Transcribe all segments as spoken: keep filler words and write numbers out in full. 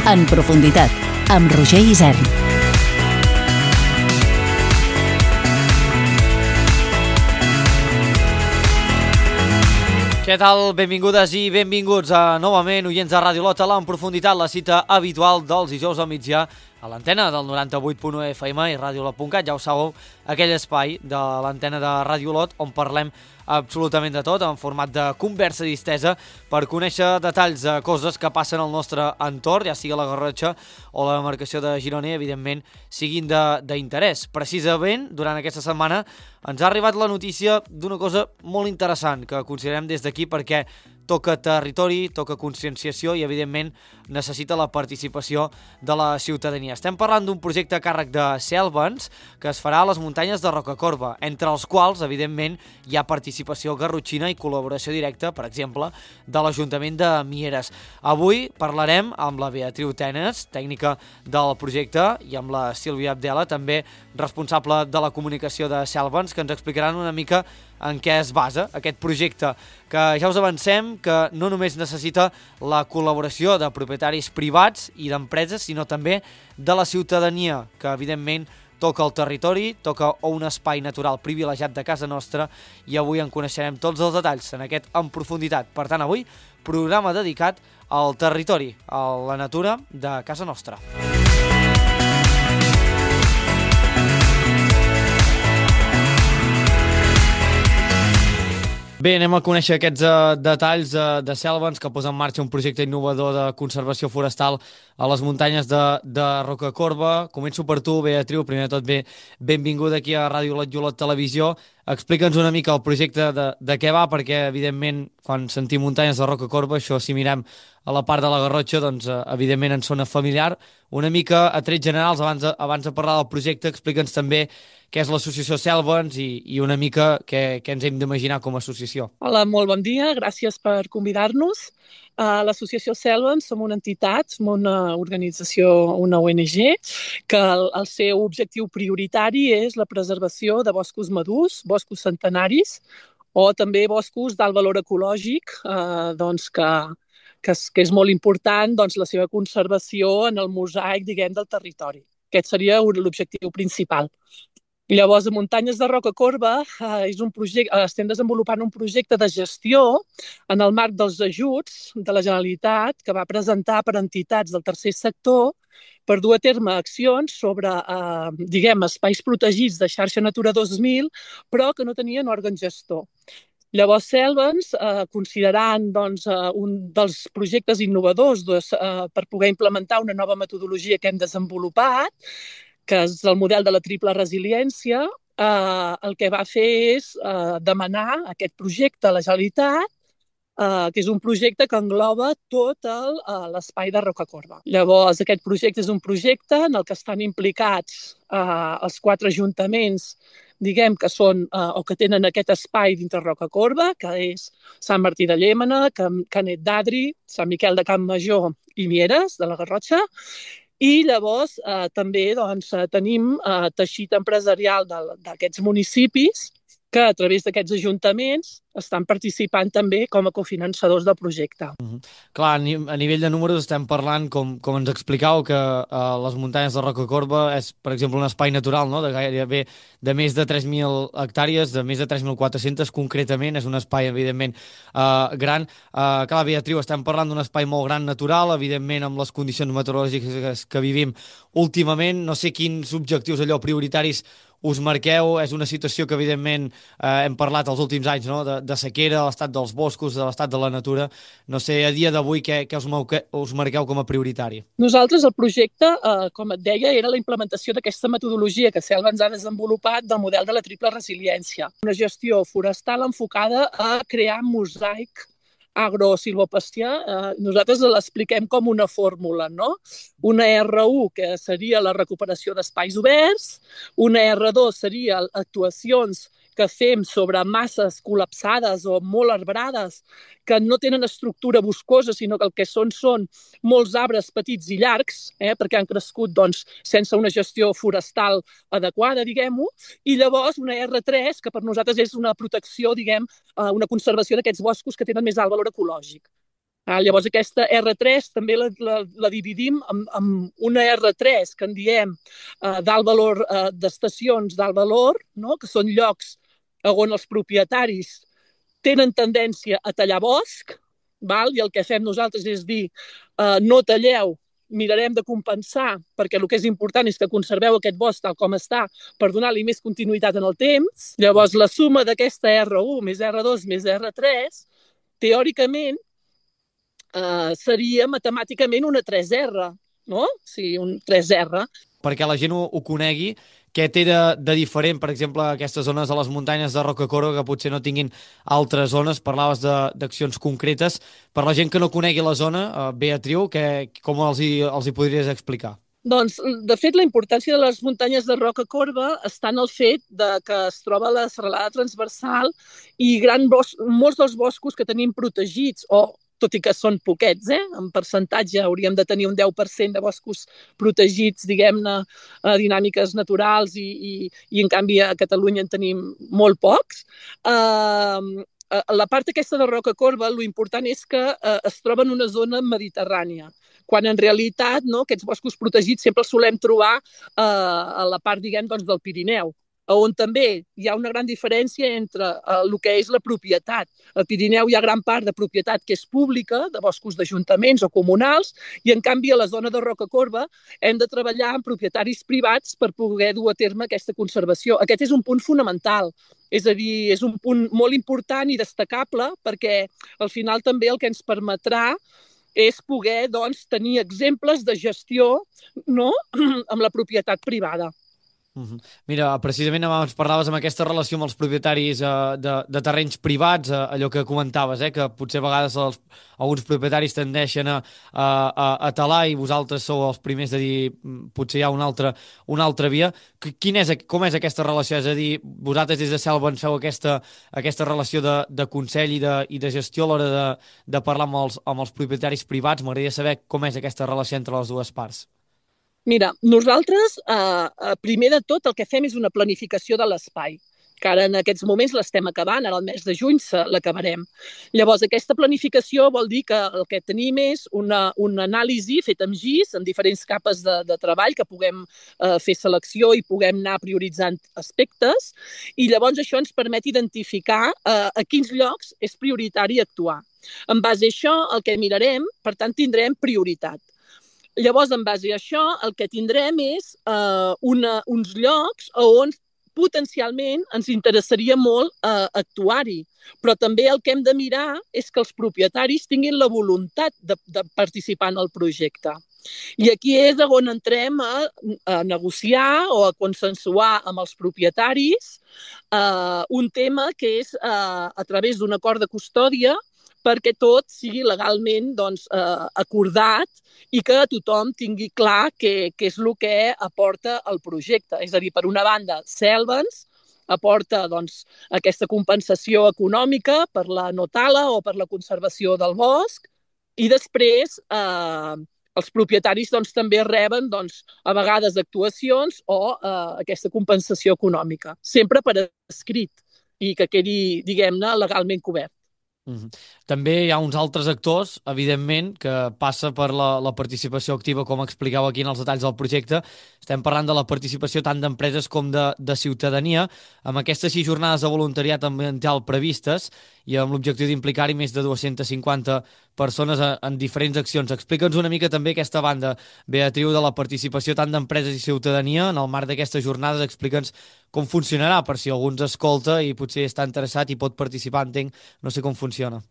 En profunditat, amb Roger Isern. Què tal? Benvingudes i benvinguts a, novament, oients de Ràdio Lot, a l'En Profunditat, la cita habitual dels dijous al migdia a l'antena del noranta-vuit punt u F M i ràdio lot punt cat. Ja ho sabeu, aquell espai de l'antena de Ràdio Lot on parlem absolutament de tot, en format de conversa distesa, per conèixer detalls de coses que passen al nostre entorn, ja sigui la Garrotxa o la demarcació de Girona, i evidentment siguin d'interès. Precisament, durant aquesta setmana ens ha arribat la notícia d'una cosa molt interessant que considerem des d'aquí, perquè toca territori, toca conscienciació i, evidentment, necessita la participació de la ciutadania. Estem parlant d'un projecte a càrrec de Cellvens que es farà a les muntanyes de Rocacorba, entre els quals, evidentment, hi ha participació garrotxina i col·laboració directa, per exemple, de l'Ajuntament de Mieres. Avui parlarem amb la Beatriu Tenes, tècnica del projecte, i amb la Sílvia Abdela, també responsable de la comunicació de Cellvens, que ens explicaran una mica en què es basa aquest projecte, que ja us avancem que no només necessita la col·laboració de propietaris privats i d'empreses, sinó també de la ciutadania, que evidentment toca el territori, toca un espai natural privilegiat de casa nostra, i avui en coneixerem tots els detalls en aquest En Profunditat. Per tant, avui, programa dedicat al territori, a la natura de casa nostra. Bé, anem a conèixer aquests uh, detalls uh, de Cellvens, que posa en marxa un projecte innovador de conservació forestal a les muntanyes de, de Rocacorba. Començo per tu, Beatriu. Primer de tot, bé, benvinguda aquí a Ràdio Lot i Olot Televisió. Explica'ns una mica el projecte de, de què va, perquè, evidentment, quan sentim muntanyes de Rocacorba, això, si mirem a la part de la Garrotxa, doncs, uh, evidentment, ens sona familiar. Una mica, a trets generals, abans de, abans de parlar del projecte, explica'ns també què és l'associació Cellvens i, i una mica què, què ens hem d'imaginar com a associació. Hola, molt bon dia, gràcies per convidar-nos. Uh, L'associació Cellvens som una entitat, som una organització, una O N G, que el, el seu objectiu prioritari és la preservació de boscos madurs, boscos centenaris, o també boscos d'alt valor ecològic, uh, doncs que, que, és, que és molt important, doncs, la seva conservació en el mosaic, diguem, del territori. Aquest seria l'objectiu principal. Llavors, a Muntanyes de Rocacorba eh, és un projecte, eh, estem desenvolupant un projecte de gestió en el marc dels ajuts de la Generalitat que va presentar per entitats del tercer sector per dur a terme accions sobre, eh, diguem, espais protegits de xarxa Natura dos mil, però que no tenien òrgan gestor. Llavors, Cellvens, eh, considerant doncs, eh, un dels projectes innovadors doncs, eh, per poder implementar una nova metodologia que hem desenvolupat, que és el model de la triple resiliència, eh, el que va fer és eh, demanar aquest projecte a la Generalitat, eh, que és un projecte que engloba tot l'espai de Rocacorba. Llavors, aquest projecte és un projecte en el que estan implicats eh, els quatre ajuntaments, diguem, que són eh, o que tenen aquest espai dintre Rocacorba, que és Sant Martí de Llémena, Can Canet d'Adri, Sant Miquel de Campmajor i Mieres, de la Garrotxa. I llavors eh, també doncs, tenim eh, teixit empresarial d'aquests municipis que a través d'aquests ajuntaments estan participant també com a cofinançadors del projecte. Mm-hmm. Clar, a nivell de números estem parlant, com, com ens explicàveu, que eh, les muntanyes de Rocacorba és, per exemple, un espai natural, no?, de gairebé de més de tres mil hectàrees, de més de tres mil quatre-cents concretament, és un espai, evidentment, eh, gran. Eh, clar, Beatriu, estem parlant d'un espai molt gran natural, evidentment, amb les condicions meteorològiques que vivim últimament. No sé quins objectius allò prioritaris us marqueu. És una situació que, evidentment, eh, hem parlat els últims anys, no?, de, de sequera, de l'estat dels boscos, de l'estat de la natura. No sé, a dia d'avui, què, què us, que us marqueu com a prioritari? Nosaltres, el projecte, eh, com et deia, era la implementació d'aquesta metodologia que Cellvens ha desenvolupat del model de la triple resiliència. Una gestió forestal enfocada a crear mosaic agrosilvopastia. Eh, nosaltres l'expliquem com una fórmula, no? Una erre u, que seria la recuperació d'espais oberts, una erre dos seria actuacions que fem sobre masses col·lapsades o molt arbrades que no tenen estructura boscosa, sinó que el que són són molts arbres petits i llargs, eh, perquè han crescut doncs, sense una gestió forestal adequada, diguem-ho, i llavors una erre tres, que per nosaltres és una protecció, diguem, una conservació d'aquests boscos que tenen més alt valor ecològic. Ah, llavors aquesta erre tres també la, la, la dividim en, en una erre tres que en diem eh, d'alt valor, eh, d'estacions d'alt valor, no? Que són llocs on els propietaris tenen tendència a tallar bosc, val? I el que fem nosaltres és dir eh, no talleu, mirarem de compensar, perquè el que és important és que conserveu aquest bosc tal com està per donar-li més continuïtat en el temps. Llavors la suma d'aquesta erre u més erre dos més erre tres, teòricament, Uh, seria matemàticament una tres erre, no? Sí, un tres erre. Perquè la gent ho, ho conegui, què té de, de diferent, per exemple, aquestes zones a les muntanyes de Rocacorba que potser no tinguin altres zones? Parlaves d'accions concretes. Per la gent que no conegui la zona, uh, Beatriu, que, com els hi, els hi podries explicar? Doncs, de fet, la importància de les muntanyes de Rocacorba està en el fet de que es troba la serralada transversal i gran bos molts dels boscos que tenim protegits, o tot i que són poquets, eh? En percentatge hauríem de tenir un deu per cent de boscos protegits, diguem-ne, a dinàmiques naturals i, i, i en canvi a Catalunya en tenim molt pocs. Uh, la part aquesta de Rocacorba, lo important és que uh, es troba en una zona mediterrània, quan en realitat, no, aquests boscos protegits sempre els solem trobar uh, a la part, diguem, doncs, del Pirineu, on també hi ha una gran diferència entre eh, el que és la propietat. Al Pirineu hi ha gran part de propietat que és pública, de boscos d'ajuntaments o comunals, i en canvi a la zona de Rocacorba hem de treballar amb propietaris privats per poder dur a terme aquesta conservació. Aquest és un punt fonamental, és a dir, és un punt molt important i destacable perquè al final també el que ens permetrà és poder, doncs, tenir exemples de gestió, no?, amb la propietat privada. Uh-huh. Mira, precisament abans parlaves amb aquesta relació amb els propietaris eh, de, de terrenys privats, eh, allò que comentaves, eh, que potser a vegades els, alguns propietaris tendeixen a, a, a talar i vosaltres sou els primers de dir potser hi ha una altra, una altra via. Quin és, com és aquesta relació? És a dir, vosaltres des de Selva ens feu aquesta, aquesta relació de, de consell i de, i de gestió a l'hora de, de parlar amb els, amb els propietaris privats. M'agradaria saber com és aquesta relació entre les dues parts. Mira, nosaltres, eh, primer de tot, el que fem és una planificació de l'espai, que ara en aquests moments l'estem acabant, ara el mes de juny l'acabarem. Llavors, aquesta planificació vol dir que el que tenim és una, una anàlisi feta amb G I S, en diferents capes de, de treball, que puguem eh, fer selecció i puguem anar prioritzant aspectes, i llavors això ens permet identificar eh, a quins llocs és prioritari actuar. En base a això, el que mirarem, per tant, tindrem prioritat. Llavors, en base a això, el que tindrem és eh, una, uns llocs on potencialment ens interessaria molt eh, actuar-hi. Però també el que hem de mirar és que els propietaris tinguin la voluntat de, de participar en el projecte. I aquí és on entrem a, a negociar o a consensuar amb els propietaris eh, un tema que és eh, a través d'un acord de custòdia perquè tot sigui legalment doncs, eh, acordat i que tothom tingui clar què, què és el que aporta el projecte. És a dir, per una banda, Selvens aporta doncs, aquesta compensació econòmica per la no-tala o per la conservació del bosc i després eh, els propietaris doncs, també reben doncs, a vegades actuacions o eh, aquesta compensació econòmica, sempre per escrit i que quedi, diguem-ne, legalment cobert. Mm-hmm. També hi ha uns altres actors, evidentment, que passa per la, la participació activa, com explicau aquí en els detalls del projecte. Estem parlant de la participació tant d'empreses com de, de ciutadania, amb aquestes sis jornades de voluntariat ambiental previstes i amb l'objectiu d'implicar-hi més de dues-centes cinquanta persones en, en diferents accions. Explica'ns una mica també aquesta banda, Beatriu, de la participació tant d'empreses i ciutadania. En el marc d'aquestes jornades, explica'ns com funcionarà, per si algú ens escolta i potser està interessat i pot participar, entenc, no sé com funciona.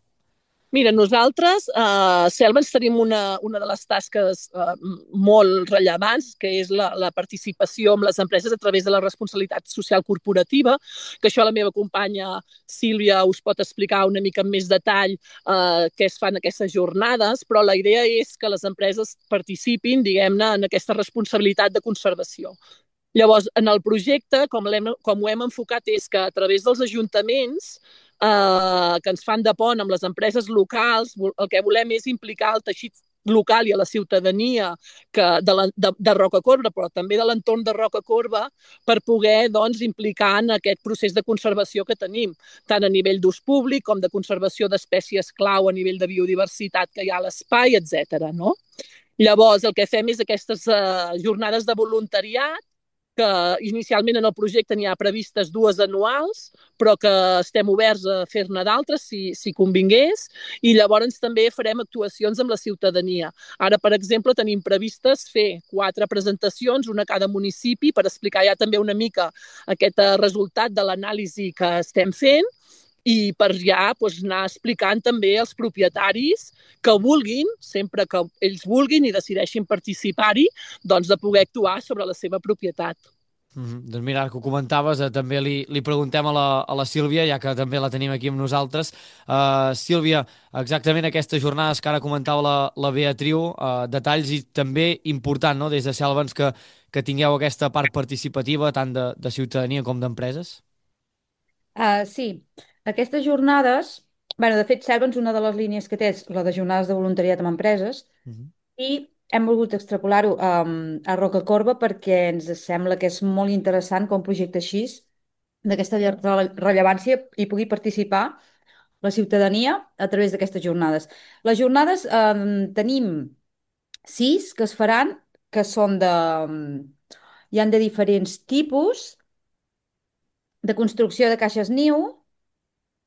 Mira, nosaltres a eh, Selvens tenim una, una de les tasques eh, molt rellevants, que és la, la participació amb les empreses a través de la responsabilitat social corporativa, que això la meva companya Sílvia us pot explicar una mica amb més detall eh, què es fan aquestes jornades, però la idea és que les empreses participin, diguem-ne, en aquesta responsabilitat de conservació. Llavors, en el projecte, com, com ho hem enfocat, és que a través dels ajuntaments eh, que ens fan de pont amb les empreses locals, el que volem és implicar el teixit local i a la ciutadania que de, la, de, de Rocacorba, però també de l'entorn de Rocacorba, per poder doncs, implicar en aquest procés de conservació que tenim, tant a nivell d'ús públic com de conservació d'espècies clau a nivell de biodiversitat que hi ha a l'espai, etcètera. No? Llavors, el que fem és aquestes uh, jornades de voluntariat, que inicialment en el projecte n'hi ha previstes dues anuals, però que estem oberts a fer-ne d'altres si, si convingués, i llavors també farem actuacions amb la ciutadania. Ara, per exemple, tenim previstes fer quatre presentacions, una a cada municipi, per explicar ja també una mica aquest resultat de l'anàlisi que estem fent, i per ja doncs, anar explicant també als propietaris que vulguin, sempre que ells vulguin i decideixin participar-hi, doncs de poder actuar sobre la seva propietat. Mm -hmm. Doncs mira, ara que ho comentaves, eh, també li, li preguntem a la, a la Sílvia, ja que també la tenim aquí amb nosaltres. Uh, Sílvia, exactament aquestes jornades que ara comentava la, la Beatriu, uh, detalls i també important, no?, des de Selvens, que, que tingueu aquesta part participativa tant de, de ciutadania com d'empreses? Uh, sí, aquestes jornades, bueno, de fet, Selvens, una de les línies que té és la de jornades de voluntariat amb empreses, uh -huh. i hem volgut extrapolar-ho um, a Rocacorba perquè ens sembla que és molt interessant que un projecte així, d'aquesta rellevància, hi pugui participar la ciutadania a través d'aquestes jornades. Les jornades um, tenim sis que es faran, que són de... Um, hi han de diferents tipus, de construcció de caixes niu.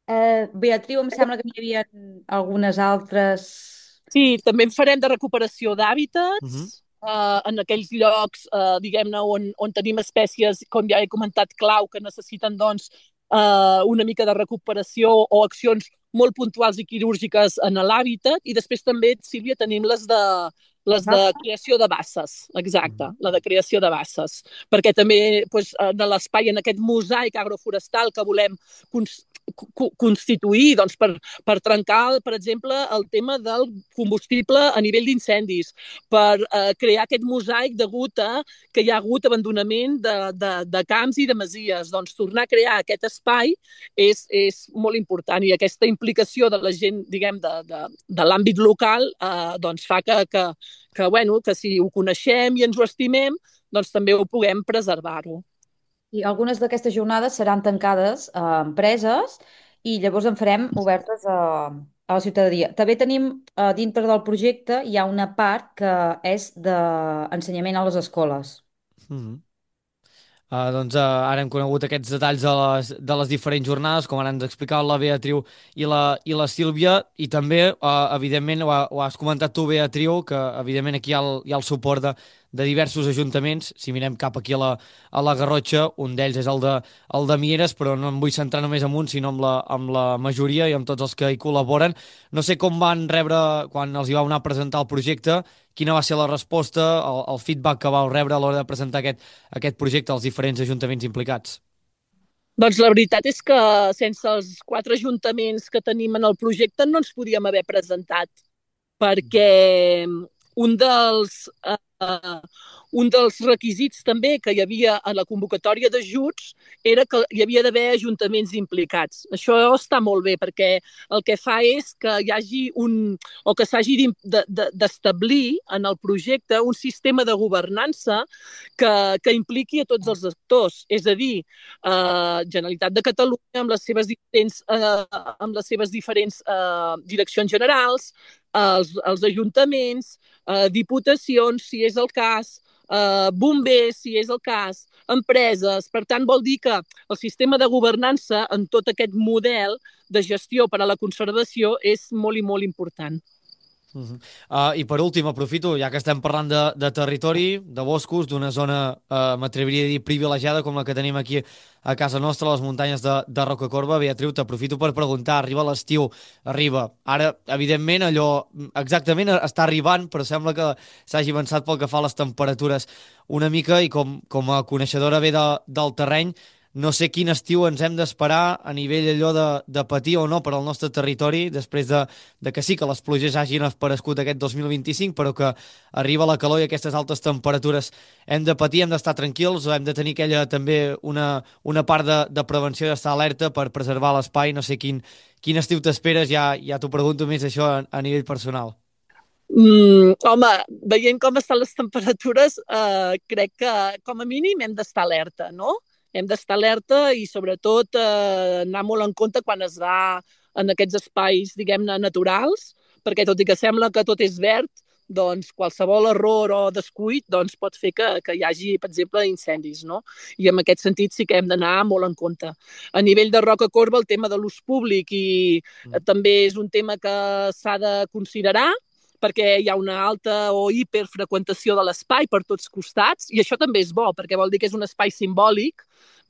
Uh, Beatriu, em sembla que n'hi havia algunes altres... Sí, també en farem de recuperació d'hàbitats, uh -huh. uh, en aquells llocs, uh, diguem-ne, on, on tenim espècies, com ja he comentat, clau, que necessiten, doncs, uh, una mica de recuperació o accions molt puntuals i quirúrgiques en l'hàbitat. I després també, Sílvia, tenim les de les de creació de basses, exacte, la de creació de basses, perquè també doncs, en l'espai, en aquest mosaic agroforestal que volem constituir doncs, per, per trencar, per exemple, el tema del combustible a nivell d'incendis, per eh, crear aquest mosaic degut a que hi ha hagut abandonament de, de, de camps i de masies. Doncs tornar a crear aquest espai és, és molt important, i aquesta implicació de la gent, diguem, de, de, de l'àmbit local eh, doncs fa que, que, que, bueno, que si ho coneixem i ens ho estimem, doncs també ho puguem preservar-ho. I algunes d'aquestes jornades seran tancades a empreses i llavors en farem obertes a, a la ciutadania. També tenim, a dintre del projecte, hi ha una part que és d'ensenyament a les escoles. Mm-hmm. Uh, doncs uh, ara hem conegut aquests detalls de les, de les diferents jornades, com ara ens explicava la Beatriu i la, i la Sílvia, i també, uh, evidentment, ho, ha, ho has comentat tu, Beatriu, que evidentment aquí hi ha el, hi ha el suport de, de diversos ajuntaments. Si mirem cap aquí a la, a la Garrotxa, un d'ells és el de, el de Mieres, però no em vull centrar només en un, sinó amb la, amb la majoria i amb tots els que hi col·laboren. No sé com van rebre, quan els hi vau anar a presentar el projecte, quina va ser la resposta, el, el feedback que vau rebre a l'hora de presentar aquest, aquest projecte als diferents ajuntaments implicats? Doncs la veritat és que sense els quatre ajuntaments que tenim en el projecte no ens podíem haver presentat, perquè un dels, eh, un dels requisits també que hi havia a la convocatòria d'ajuts era que hi havia d'haver ajuntaments implicats. Això està molt bé, perquè el que fa és que hi hagi un, o que s'hagi d'establir en el projecte un sistema de governança que, que impliqui a tots els actors. És a dir, eh, Generalitat de Catalunya amb les seves diferents, eh, amb les seves diferents eh, direccions generals, els, els ajuntaments, eh, diputacions, si és el cas, eh, bombers, si és el cas, empreses. Per tant, vol dir que el sistema de governança en tot aquest model de gestió per a la conservació és molt i molt important. Uh -huh. uh, I per últim, aprofito, ja que estem parlant de, de territori, de boscos, d'una zona, uh, m'atreviria a dir, privilegiada com la que tenim aquí a casa nostra, a les muntanyes de, de Rocacorba. Beatriu, t'aprofito per preguntar, arriba l'estiu, arriba. Ara, evidentment, allò exactament està arribant, però sembla que s'hagi avançat pel que fa a les temperatures una mica, i com, com a coneixedora bé de, del terreny, no sé quin estiu ens hem d'esperar a nivell allò de, de patir o no per al nostre territori, després de, de que sí que les pluges hagin aparegut aquest dos mil vint-i-cinc, però que arriba la calor i aquestes altes temperatures. Hem de patir, hem d'estar tranquils, o hem de tenir aquella també una, una part de, de prevenció, d'estar alerta per preservar l'espai? No sé quin, quin estiu t'esperes, ja, ja t'ho pregunto més això a, a nivell personal. Mm, home, veient com estan les temperatures, eh, crec que com a mínim hem d'estar alerta, no? Hem d'estar alerta i sobretot eh, anar molt en compte quan es va en aquests espais, diguem-ne, naturals, perquè tot i que sembla que tot és verd, doncs qualsevol error o descuit doncs, pot fer que, que hi hagi, per exemple, incendis, no? I en aquest sentit sí que hem d'anar molt en compte. A nivell de Roca Corba, el tema de l'ús públic i mm. també és un tema que s'ha de considerar, perquè hi ha una alta o hiperfreqüentació de l'espai per tots costats, i això també és bo, perquè vol dir que és un espai simbòlic,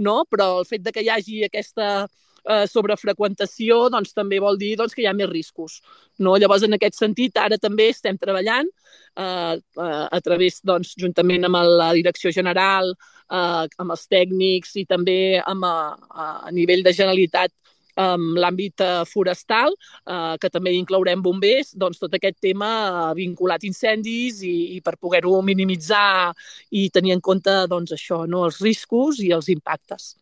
no? Però el fet de que hi hagi aquesta eh, sobrefreqüentació doncs, també vol dir doncs, que hi ha més riscos. No? Llavors, en aquest sentit, ara també estem treballant eh, a través, doncs, juntament amb la Direcció General, eh, amb els tècnics i també amb, a, a nivell de Generalitat, amb l'àmbit forestal, eh, que també inclourem bombers, doncs tot aquest tema eh, vinculat a incendis i, i per poder-ho minimitzar i tenir en compte doncs, això, no? Els riscos i els impactes.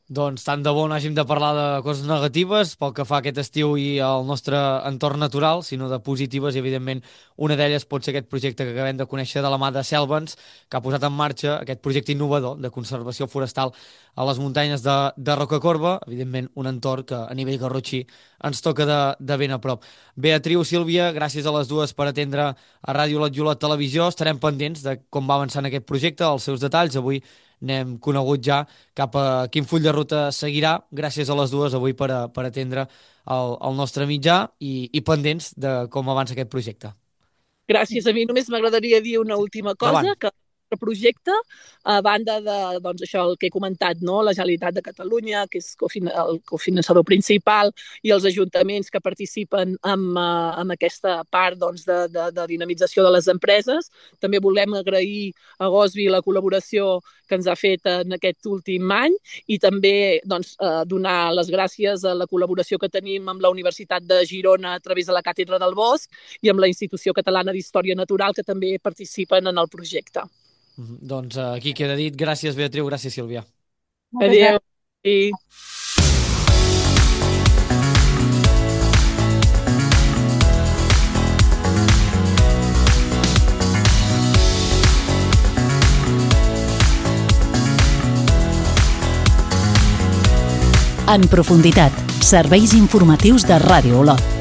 Doncs tant de bo no hàgim de parlar de coses negatives pel que fa a aquest estiu i al nostre entorn natural, sinó de positives, i evidentment una d'elles pot ser aquest projecte que acabem de conèixer de la mà de Selvens, que ha posat en marxa aquest projecte innovador de conservació forestal a les muntanyes de, de Rocacorba, evidentment un entorn que a nivell garrotxí ens toca de, de ben a prop. Beatriu, Sílvia, gràcies a les dues per atendre a Ràdio Lot Televisió. Estarem pendents de com va avançant aquest projecte, els seus detalls. Avui n'hem conegut ja cap a quin full de ruta seguirà. Gràcies a les dues avui per, a, per atendre el, el nostre mitjà i, i pendents de com avança aquest projecte. Gràcies. A mi només m'agradaria dir una última cosa, Davant. que el projecte, a banda de doncs, això el que he comentat, no? La Generalitat de Catalunya, que és el cofinançador principal, i els ajuntaments que participen amb, amb aquesta part doncs, de, de, de dinamització de les empreses. També volem agrair a Gosby la col·laboració que ens ha fet en aquest últim any i també doncs, donar les gràcies a la col·laboració que tenim amb la Universitat de Girona a través de la Càtedra del Bosc i amb la Institució Catalana d'Història Natural, que també participen en el projecte. Doncs aquí queda dit. Gràcies, Beatriu. Gràcies, Sílvia. Adéu. Sí. En profunditat, serveis informatius de Ràdio Olot.